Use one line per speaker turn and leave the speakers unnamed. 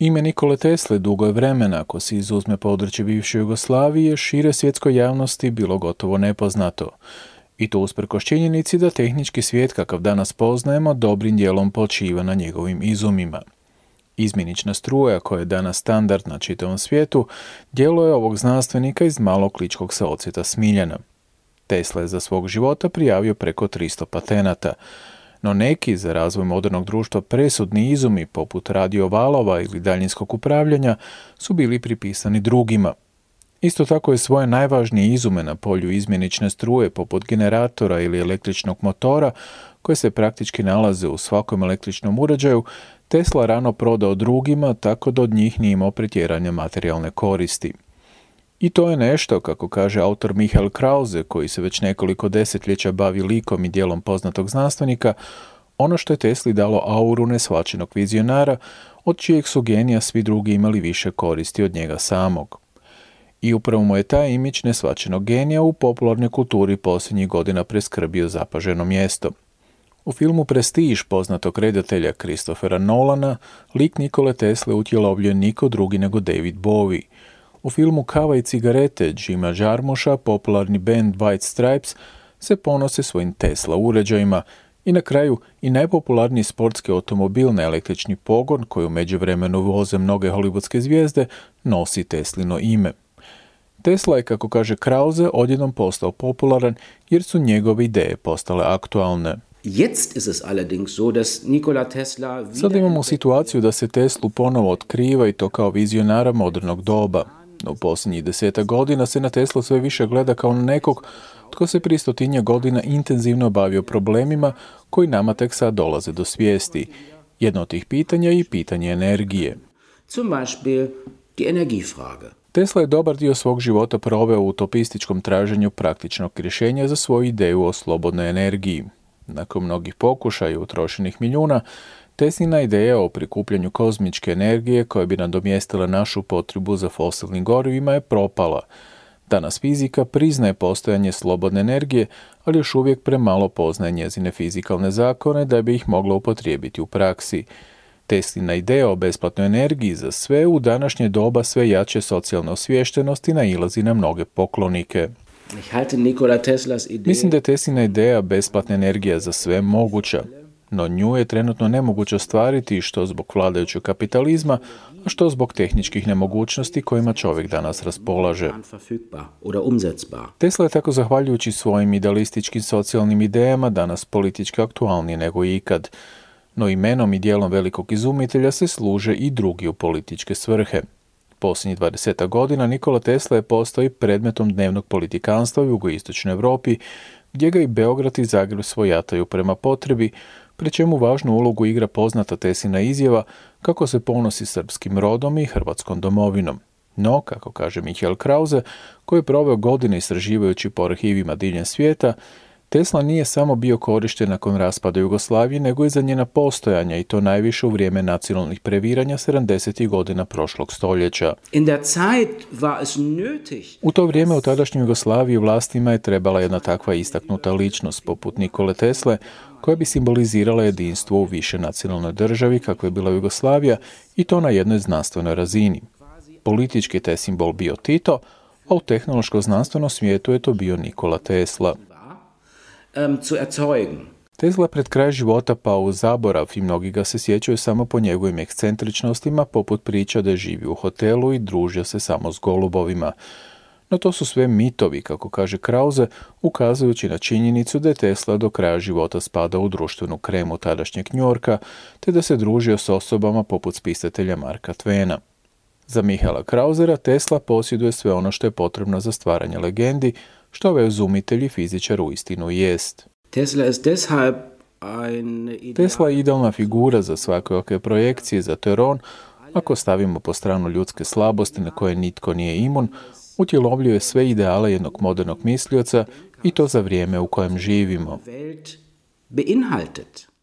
Ime Nikole Tesle dugo je vremena, ako se izuzme područje bivše Jugoslavije, šire svjetskoj javnosti bilo gotovo nepoznato. I to usprkos činjenici da tehnički svijet kakav danas poznajemo dobrim dijelom počiva na njegovim izumima. Izmjenična struja, koja je danas standard na čitavom svijetu, djelo je ovog znanstvenika iz malog ličkog se odsjeta Smiljana. Tesla je za svog života prijavio preko 300 patenata, no neki za razvoj modernog društva presudni izumi, poput radiovalova ili daljinskog upravljanja, su bili pripisani drugima. Isto tako je svoje najvažnije izume na polju izmjenične struje, poput generatora ili električnog motora, koje se praktički nalaze u svakom električnom uređaju, Tesla rano prodao drugima, tako da od njih nije imao pretjerane materijalne koristi. I to je nešto, kako kaže autor Michael Krause, koji se već nekoliko desetljeća bavi likom i djelom poznatog znanstvenika, ono što je Tesli dalo auru neshvaćenog vizionara, od čijeg su genija svi drugi imali više koristi od njega samog. I upravo mu je taj imidž neshvaćenog genija u popularnoj kulturi posljednjih godina preskrbio zapaženo mjesto. U filmu Prestiž poznatog redatelja Christophera Nolana, lik Nikole Tesle utjelovljuje niko drugi nego David Bowie. U filmu Kava i cigarete Jima Jarmuscha popularni band White Stripes se ponose svojim Tesla uređajima i na kraju i najpopularniji sportski automobil na električni pogon, koji u međuvremenu voze mnoge hollywoodske zvijezde, nosi Teslino ime. Tesla je, kako kaže Krause, odjednom postao popularan jer su njegove ideje postale aktualne. Sada imamo situaciju da se Teslu ponovo otkriva i to kao vizionara modernog doba. No u posljednjih 10 godina se na Teslu sve više gleda kao na nekog tko se prije 100 godina intenzivno bavio problemima koji nama tek sad dolaze do svijesti. Jedno od tih pitanja je i pitanje energije. Tesla je dobar dio svog života proveo u utopističkom traženju praktičnog rješenja za svoju ideju o slobodnoj energiji. Nakon mnogih pokušaja i utrošenih milijuna, Teslina ideja o prikupljanju kozmičke energije koja bi nadomjestila našu potrebu za fosilnim gorivima je propala. Danas fizika priznaje postojanje slobodne energije, ali još uvijek premalo poznaje njezine fizikalne zakone da bi ih mogla upotrijebiti u praksi. Teslina ideja o besplatnoj energiji za sve u današnje doba sve jače socijalne osviještenosti nailazi na mnoge poklonike. Mislim da je Teslina ideja besplatna energija za sve moguća, no nju je trenutno nemoguće ostvariti što zbog vladajućeg kapitalizma, a što zbog tehničkih nemogućnosti kojima čovjek danas raspolaže. Tesla je tako zahvaljujući svojim idealističkim socijalnim idejama danas politički aktualniji nego ikad, no imenom i dijelom velikog izumitelja se služe i drugi u političke svrhe. Posljednjih 20 godina Nikola Tesla je postao i predmetom dnevnog politikanstva u jugoistočnoj Europi, gdje ga i Beograd i Zagreb svojataju prema potrebi, pri čemu važnu ulogu igra poznata Teslina izjava kako se ponosi srpskim rodom i hrvatskom domovinom. No, kako kaže Michael Krause, koji je proveo godine istraživajući po arhivima diljem svijeta, Tesla nije samo bio korišten nakon raspada Jugoslavije, nego i za njena postojanja, i to najviše u vrijeme nacionalnih previranja 70. godina prošlog stoljeća. U to vrijeme u tadašnjoj Jugoslaviji vlastima je trebala jedna takva istaknuta ličnost, poput Nikole Tesle, koja bi simbolizirala jedinstvo u više nacionalnoj državi, kakva je bila Jugoslavija, i to na jednoj znanstvenoj razini. Politički je taj simbol bio Tito, a u tehnološko-znanstvenom svijetu je to bio Nikola Tesla. Tesla pred kraj života pao u zaborav i mnogi ga se sjećaju samo po njegovim ekscentričnostima, poput priča da je živio u hotelu i družio se samo s golubovima. No to su sve mitovi, kako kaže Krause, ukazujući na činjenicu da je Tesla do kraja života spadao u društvenu kremu tadašnjeg Njorka, te da se družio s osobama poput spisatelja Marka Twena. Za Michaela Krausera Tesla posjeduje sve ono što je potrebno za stvaranje legendi, što ovaj izumitelj i fizičar uistinu jest. Tesla je idealna figura za svakojake projekcije, zato jer on, ako stavimo po stranu ljudske slabosti na koje nitko nije imun, utjelovljuje sve ideale jednog modernog mislioca i to za vrijeme u kojem živimo.